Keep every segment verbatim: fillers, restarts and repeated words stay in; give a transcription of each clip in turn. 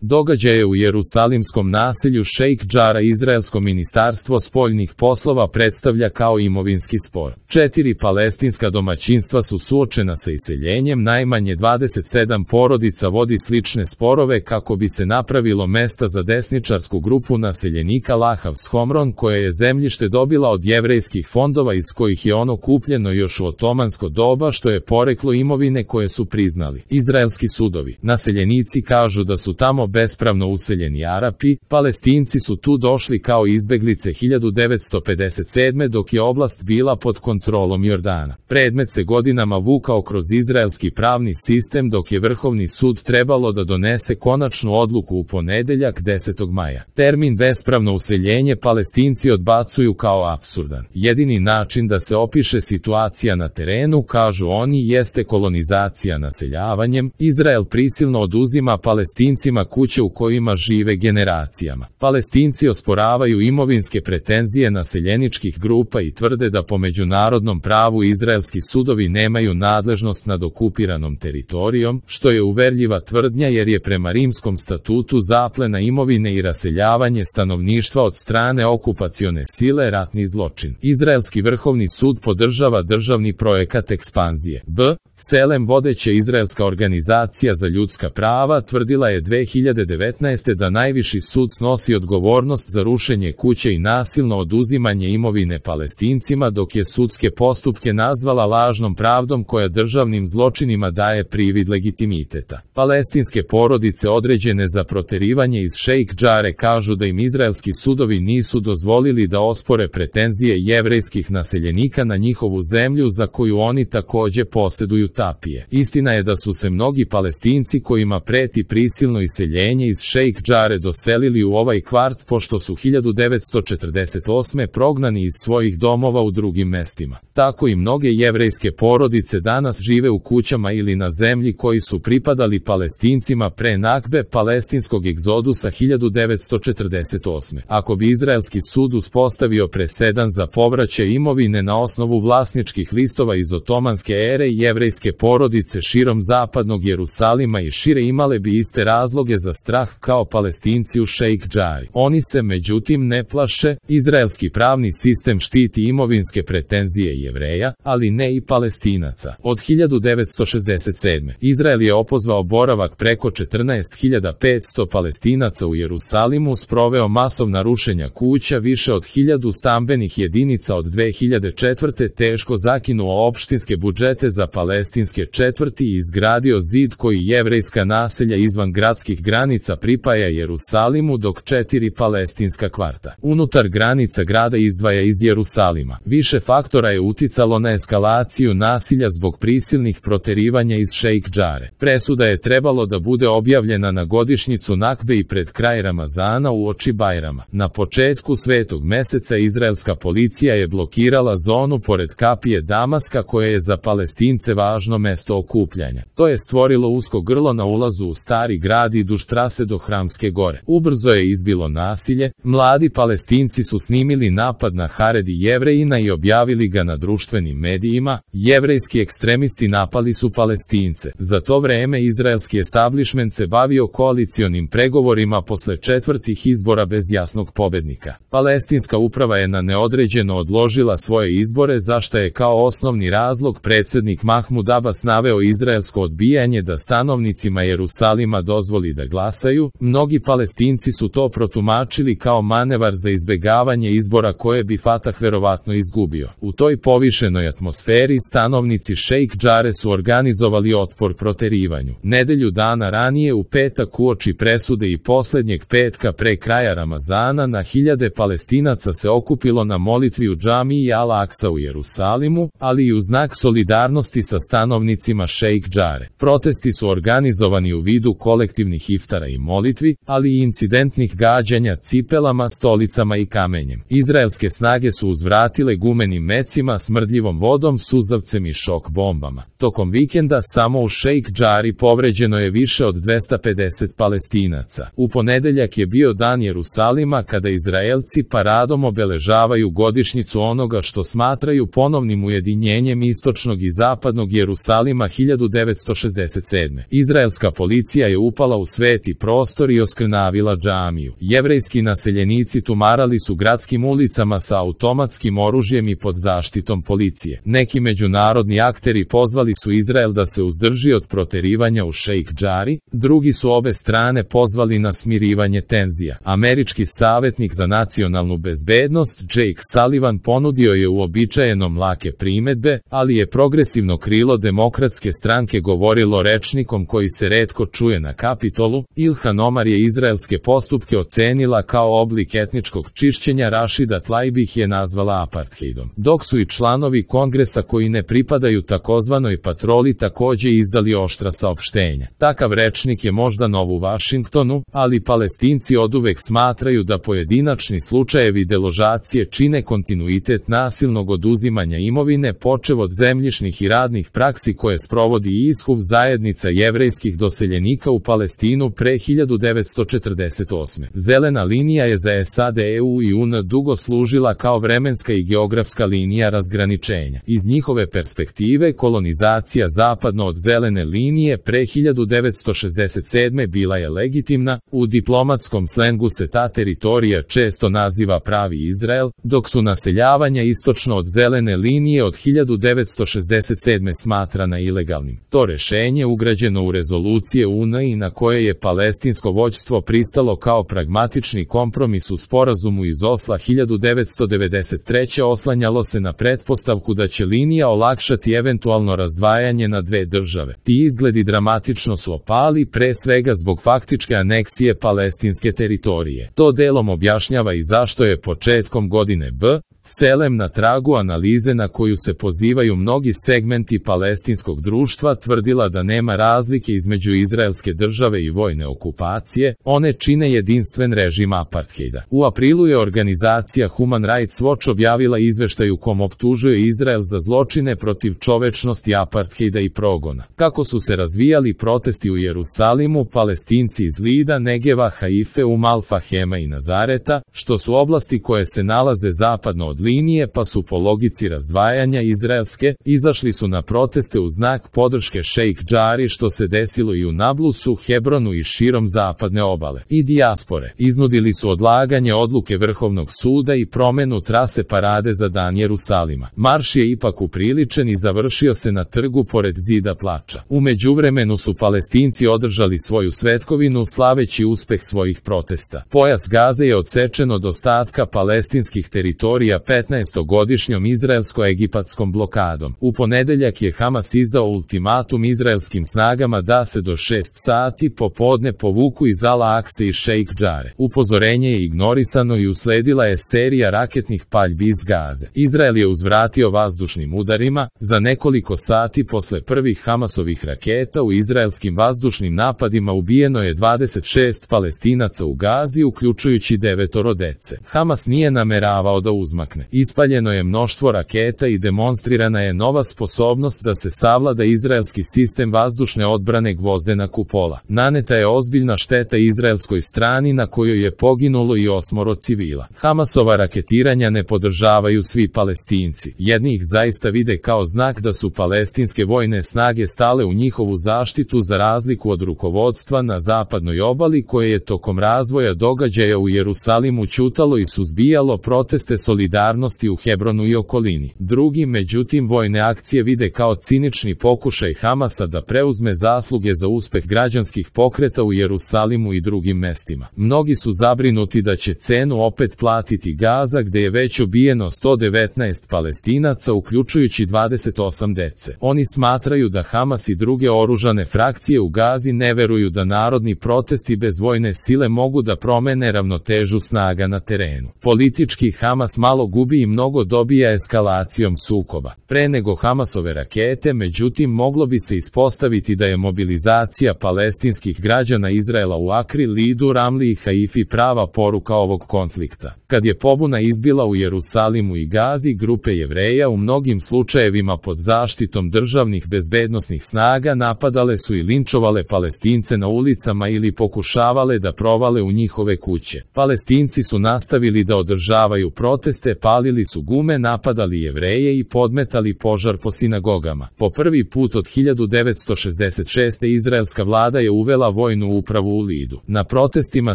Događaje u jerusalimskom naselju Šejk Džara izraelsko ministarstvo spoljnih poslova predstavlja kao imovinski spor. Četiri palestinska domaćinstva su suočena sa iseljenjem, najmanje dvadeset sedam porodica vodi slične sporove kako bi se napravilo mesta za desničarsku grupu naseljenika Lahavs Homron, koje je zemljište dobila od jevrejskih fondova iz kojih je ono kupljeno još u otomansko doba, što je poreklo imovine koje su priznali izraelski sudovi. Naseljenici kažu da su tamo bespravno useljeni Arapi, Palestinci su tu došli kao izbeglice hiljadu devetsto pedeset sedme. dok je oblast bila pod kontrolom Jordana. Predmet se godinama vukao kroz izraelski pravni sistem dok je Vrhovni sud trebalo da donese konačnu odluku u ponedeljak desetog maja. Termin bespravno useljenje Palestinci odbacuju kao apsurdan. Jedini način da se opiše situacija na terenu, kažu oni, jeste kolonizacija naseljavanjem. Izrael prisilno oduzima Palestincima kuće u kojima žive generacijama. Palestinci osporavaju imovinske pretenzije naseljeničkih grupa i tvrde da po međunarodnom pravu izraelski sudovi nemaju nadležnost nad okupiranom teritorijom, što je uverljiva tvrdnja jer je prema Rimskom statutu zaplena imovine i raseljavanje stanovništva od strane okupacione sile ratni zločin. Izraelski vrhovni sud podržava državni projekat ekspanzije. B. Selem, vodeća izraelska organizacija za ljudska prava, tvrdila je dve hiljade devetnaeste. da najviši sud snosi odgovornost za rušenje kuće i nasilno oduzimanje imovine Palestincima, dok je sudske postupke nazvala lažnom pravdom koja državnim zločinima daje privid legitimiteta. Palestinske porodice određene za proterivanje iz Šejk Džare kažu da im izraelski sudovi nisu dozvolili da ospore pretenzije jevrejskih naseljenika na njihovu zemlju za koju oni takođe poseduju tapije. Istina je da su se mnogi Palestinci kojima preti prisilno iseljenje iz Šejk Džare doselili u ovaj kvart pošto su hiljadu devetsto četrdeset osme. prognani iz svojih domova u drugim mestima. Tako i mnoge jevrejske porodice danas žive u kućama ili na zemlji koji su pripadali Palestincima pre nakbe palestinskog egzodusa hiljadu devetsto četrdeset osme. Ako bi izraelski sud uspostavio presedan za povraćaj imovine na osnovu vlasničkih listova iz otomanske ere, jevrejske porodice širom zapadnog Jerusalima i šire imale bi iste razloge za strah kao Palestinci u Šejk Džari. Oni se međutim ne plaše. Izraelski pravni sistem štiti imovinske pretenzije Jevreja, ali ne i Palestinaca. Od hiljadu devetsto šezdeset sedme. Izrael je opozvao boravak preko četrnaest hiljada petsto Palestinaca u Jerusalimu, sproveo masovna rušenja kuća, više od hiljadu stambenih jedinica od dve hiljade četvrte. teško zakinuo opštinske budžete za palestinske četvrti i izgradio zid koji jevrejska naselja izvan gradskih granica pripaja Jerusalimu, dok četiri palestinska kvarta unutar granica grada izdvaja iz Jerusalima. Više faktora je uticalo na eskalaciju nasilja zbog prisilnih proterivanja iz Šejk Džare. Presuda je trebalo da bude objavljena na godišnjicu Nakbe i pred kraj Ramazana uoči Bajrama. Na početku svetog meseca izraelska policija je blokirala zonu pored kapije Damaska koje je za Palestince važno mesto okupljanja. To je stvorilo usko grlo na ulazu u stari grad i duž trase do Hramske gore. Ubrzo je izbilo nasilje. Mladi Palestinci su snimili napad na Haredi Jevrejina i objavili ga na društvenim medijima. Jevrejski ekstremisti napali su Palestince. Za to vreme izraelski establišment se bavio koalicionim pregovorima posle četvrtih izbora bez jasnog pobednika. Palestinska uprava je na neodređeno odložila svoje izbore, za šta je kao osnovni razlog predsednik Mahmud Abbas naveo izraelsko odbijanje da stanovnicima Jerusalima dozvoli da glasaju. Mnogi Palestinci su to protumačili kao manevar za izbegavanje izbora koje bi Fatah verovatno izgubio. U toj povišenoj atmosferi stanovnici Šejk Džare su organizovali otpor proterivanju. Nedelju dana ranije, u petak uoči presude i poslednjeg petka pre kraja Ramazana, na hiljade Palestinaca se okupilo na molitvi u džamiji Al-Aksa u Jerusalimu, ali i u znak solidarnosti sa stanovnicima Šejk Džare. Protesti su organizovani u vidu kolektivnih iftara i molitvi, ali i incidentnih gađanja cipelama, stolicama i kamenjem. Izraelske snage su uzvratile gumenim mecima, smrdljivom vodom, suzavcem i šok bombama. Tokom vikenda samo u Šejk Džari povređeno je više od dvesta pedeset Palestinaca. U ponedeljak je bio dan Jerusalima kada Izraelci paradom obeležavaju godišnjicu onoga što smatraju ponovnim ujedinjenjem istočnog i zapadnog Jerusalima hiljadu devetsto šezdeset sedme. Izraelska policija je upala u sveti sveti prostor i oskrnavila džamiju. Jevrejski naseljenici tumarali su gradskim ulicama sa automatskim oružjem i pod zaštitom policije. Neki međunarodni akteri pozvali su Izrael da se uzdrži od proterivanja u Šejk Džari, drugi su obe strane pozvali na smirivanje tenzija. Američki savjetnik za nacionalnu bezbednost Jake Sullivan ponudio je uobičajenom lake primedbe, ali je progresivno krilo demokratske stranke govorilo rečnikom koji se retko čuje na Kapitolu. Ilhan Omar je izraelske postupke ocenila kao oblik etničkog čišćenja, Rashida Tlaib ih je nazvala apartheidom. Dok su i članovi kongresa koji ne pripadaju takozvanoj patroli takođe izdali oštra saopštenja. Takav rečnik je možda nov u Vašingtonu, ali Palestinci oduvek smatraju da pojedinačni slučajevi deložacije čine kontinuitet nasilnog oduzimanja imovine počev od zemljišnih i radnih praksi koje sprovodi Ishuv, zajednica jevrejskih doseljenika u Palestinu pre hiljadu devetsto četrdeset osme. Zelena linija je za S A D, E U i U N dugo služila kao vremenska i geografska linija razgraničenja. Iz njihove perspektive, kolonizacija zapadno od zelene linije pre hiljadu devetsto šezdeset sedme bila je legitimna. U diplomatskom slengu se ta teritorija često naziva pravi Izrael, dok su naseljavanja istočno od zelene linije od hiljadu devetsto šezdeset sedme smatrana ilegalnim. To rešenje ugrađeno u rezolucije U N i na koje je palestinsko vođstvo pristalo kao pragmatični kompromis u sporazumu iz Osla hiljadu devetsto devedeset treće oslanjalo se na pretpostavku da će linija olakšati eventualno razdvajanje na dve države. Ti izgledi dramatično su opali, pre svega zbog faktičke aneksije palestinske teritorije. To delom objašnjava i zašto je početkom godine B. Selem na tragu analize na koju se pozivaju mnogi segmenti palestinskog društva tvrdila da nema razlike između izraelske države i vojne okupacije, one čine jedinstven režim apartheida. U aprilu je organizacija Human Rights Watch objavila izveštaj u kom optužuje Izrael za zločine protiv čovečnosti, apartheida i progona. Kako su se razvijali protesti u Jerusalimu, Palestinci iz Lida, Negeva, Haife, Umal Fahema i Nazareta, što su oblasti koje se nalaze zapadno od linije pa su po logici razdvajanja izraelske, izašli su na proteste u znak podrške Šejk Džari, što se desilo i u Nablusu, Hebronu i širom zapadne obale. I dijaspore iznudili su odlaganje odluke Vrhovnog suda i promenu trase parade za dan Jerusalima. Marš je ipak upriličen i završio se na trgu pored Zida plača. U međuvremenu su Palestinci održali svoju svetkovinu slaveći uspeh svojih protesta. Pojas Gaze je odsečen od ostatka palestinskih teritorija petnaestogodišnjom izraelsko-egipatskom blokadom. U ponedeljak je Hamas izdao ultimatum izraelskim snagama da se do šest sati popodne povuku iz Al-Akse i Šejk Džare. Upozorenje je ignorisano i usledila je serija raketnih paljbi iz Gaze. Izrael je uzvratio vazdušnim udarima. Za nekoliko sati posle prvih Hamasovih raketa u izraelskim vazdušnim napadima ubijeno je dvadeset šest Palestinaca u Gazi, uključujući devetoro dece. Hamas nije nameravao da uzmakne. Ispaljeno je mnoštvo raketa i demonstrirana je nova sposobnost da se savlada izraelski sistem vazdušne odbrane Gvozdena kupola. Naneta je ozbiljna šteta izraelskoj strani na kojoj je poginulo i osmoro civila. Hamasova raketiranja ne podržavaju svi Palestinci. Jedni ih zaista vide kao znak da su palestinske vojne snage stale u njihovu zaštitu za razliku od rukovodstva na zapadnoj obali koje je tokom razvoja događaja u Jerusalimu ćutalo i suzbijalo proteste solidarnosti u Hebronu i okolini. Drugi, međutim, vojne akcije vide kao cinični pokušaj Hamasa da preuzme zasluge za uspeh građanskih pokreta u Jerusalimu i drugim mestima. Mnogi su zabrinuti da će cenu opet platiti Gaza, gde je već ubijeno sto devetnaest Palestinaca, uključujući dvadeset osam dece. Oni smatraju da Hamas i druge oružane frakcije u Gazi ne veruju da narodni protesti bez vojne sile mogu da promene ravnotežu snaga na terenu. Politički Hamas malo gubi i mnogo dobija eskalacijom sukoba. Pre nego Hamasove rakete, međutim, moglo bi se ispostaviti da je mobilizacija palestinskih građana Izraela u Akri, Lidu, Ramli i Haifi prava poruka ovog konflikta. Kad je pobuna izbila u Jerusalimu i Gazi, grupe Jevreja u mnogim slučajevima pod zaštitom državnih bezbednosnih snaga napadale su i linčovale Palestince na ulicama ili pokušavale da provale u njihove kuće. Palestinci su nastavili da održavaju proteste palili su gume, napadali Jevreje i podmetali požar po sinagogama. Po prvi put od hiljadu devetsto šezdeset šeste. izraelska vlada je uvela vojnu upravu u Lidu. Na protestima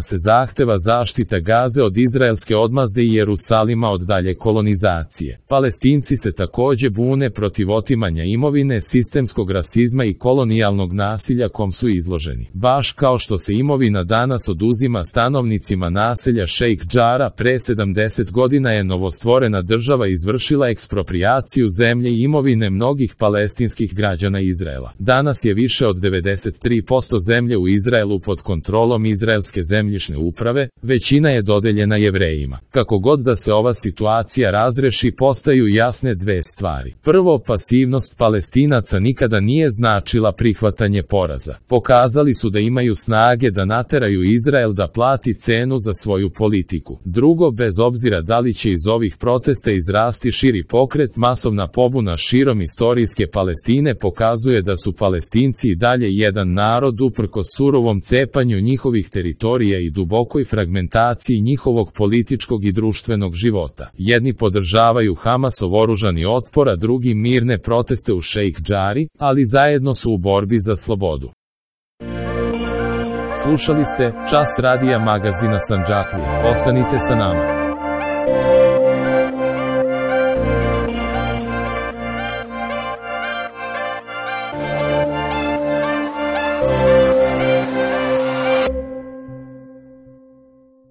se zahteva zaštita Gaze od izraelske odmazde i Jerusalima od dalje kolonizacije. Palestinci se takođe bune protiv otimanja imovine, sistemskog rasizma i kolonijalnog nasilja kom su izloženi. Baš kao što se imovina danas oduzima stanovnicima naselja Šejk Džara, pre sedamdeset godina je novostvorena država izvršila eksproprijaciju zemlje i imovine mnogih palestinskih građana Izraela. Danas je više od devedeset tri posto zemlje u Izraelu pod kontrolom izraelske zemljišne uprave, većina je dodeljena Jevrejima. Kako god da se ova situacija razreši, postaju jasne dve stvari. Prvo, pasivnost Palestinaca nikada nije značila prihvatanje poraza. Pokazali su da imaju snage da nateraju Izrael da plati cenu za svoju politiku. Drugo, bez obzira da li će iz ovih protesta izrasti širi pokret, masovna pobuna širom istorijske Palestine pokazuje da su Palestinci i dalje jedan narod uprkos surovom cepanju njihovih teritorija i dubokoj fragmentaciji njihovog političkog i društvenog života. Jedni podržavaju Hamasov oružani otpor, a drugi mirne proteste u Šejk Džari, ali zajedno su u borbi za slobodu. Slušali ste Čas radija magazina Sandžaklija. Ostanite sa nama.